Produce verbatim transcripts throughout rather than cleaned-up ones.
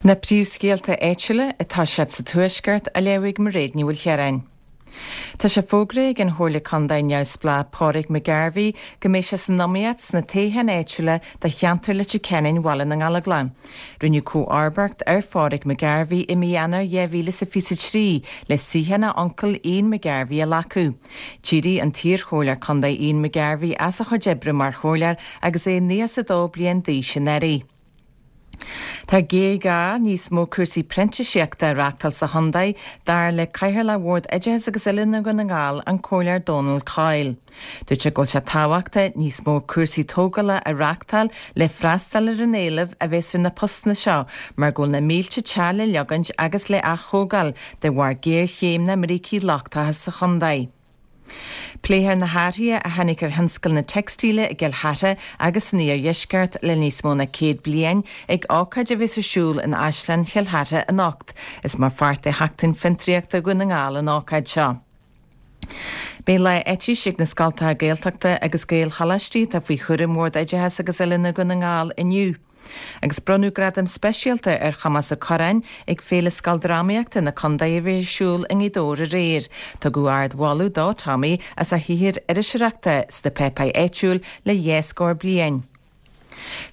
Na príomhscéalta áitiúla atá siad sa Tuaisceart á léamh ag Mairéad Ní Mhaoilchiaráin. Tá sé fógraithe ag an Chomhairleoir Contae neamhspleách Pádraig McGarvey go mbeidh sé san iomaíocht sna toghcháin áitiúla do cheantar Leitir Ceanainn Bhaile na nGallóglach. Rinneadh comharbacht ar Phádraig McGarvey i mí Eanáir dhá mhíle is a fiche a trí le suíochán a uncail Ian McGarvey a ghlacadh. D'éirigh an t-iarchomhairleoir contae Ian McGarvey as a chuid oibre mar chomhairleoir agus é nócha is a dó bliain d'aois anuraidh. Tá géarghá níos mó cúrsaí printíseachta a reáchtáil sa chontae dar le Cathaoirleach Bhord Oideachais agus Oiliúna Dhún na nGall an Comhairleoir Donal Coyle. Dúirt sé go bhfuil sé tábhachtach níos mó cúrsaí tógála a reáchtáil le freastal ar an éileamh a bheas ar na postanna seo mar go bhfuil na mílte teach le leagaint agus le aththógáil de bharr géarchéim na mbrící lochtacha sa chontae. Pléifear na hathruithe a tháinig ar thionscal na teicstíle i gCill Chartha agus san iardheisceart le níos mó ná céad bliain ag ócáid a bheas ar siúl in Áislann Chill Chartha anocht. Is mar pháirt de Sheachtain Fiontraíochta Dhún na nGall an ócáid seo. Beidh lá aitís ag na scoltacha Gaeltachta agus Gaelcholáistí atá faoi chúram Bhord Oideachais agus Oiliúna Dhún na nGall inniu. Agus bronnadh gradam speisialta ar Thomás Ó Curráin ag Féile Scoildrámaíochta na Contae a bhí ar siúl i nGaoth Dobhair aréir. Tugadh ardmholadh do Tommy as a shaothar iriseoireachta sna páipéir áitiúil le dhá scór bliain.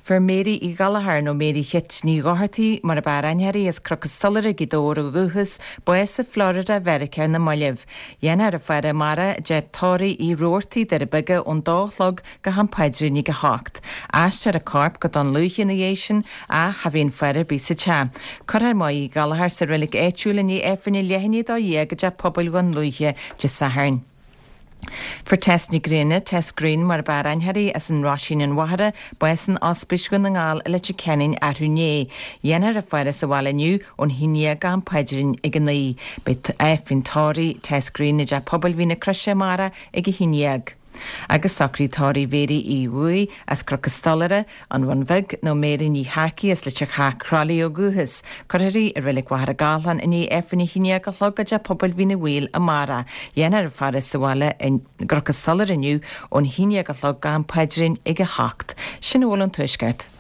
Fuair Mary Uí Ghallchóir nó Mary Chit Ní Dhochartaigh mar ab fhearr aithne uirthi as Cnoc an Stolaire Gaoth Dobhair ó dhúchas, bás i Florida Mheiriceá ar na mallaibh. Dhéanfar a faire amárach i dteach tórraimh Uí Rabhartaigh, Doire Beaga ón dó a chlog go ham paidrín ag a hocht. Aistreofar a corp go Dún Lúiche ina dhiaidh sin ach cha bheidh aon faire ar bith sa teach. Cuirfear Máire Uí Ghallchóir sa reilig áitiúil i ndiaidh Aifreann a leath i ndiaidh a dó dhéag i dteach pobail Dhún Lúiche Dé Sathairn. Fuair Tess Ní Ghrianna, Tess Green mar ab fhearr aithne uirthi as an Roisín an Mhachaire, bás in Ospís Dhún na nGall i Leitir Ceanainn arú inné. Dhéanfar a faire sa bhaile inniu ón haon déag go ham paidrín ag a naoi. Beidh Aifreann tórraimh Tess Green i dTeach Pobail Mhín na Croise amárach ag a haon déag. Agus socraí tórraimh Mhéirí Uí Bhuaidh as Cnoc an Stolaire, an Bhun Bheag, nó Mary Ní Shearcaigh as Leitir Chath Crolly ó dhúchas. Cuirfear í i Reilig Mhachaire Gathlán i ndiaidh Aifreann a haon déag a chlog i dTeach Pobail Mhín an Mhaoil amárach. Dhéanfar a faire sa bhaile i gCnoc an Stolaire inniu ón haon déag a chlog go ham paidrín ag a hocht. Sin a bhfuil ón Tuaisceart.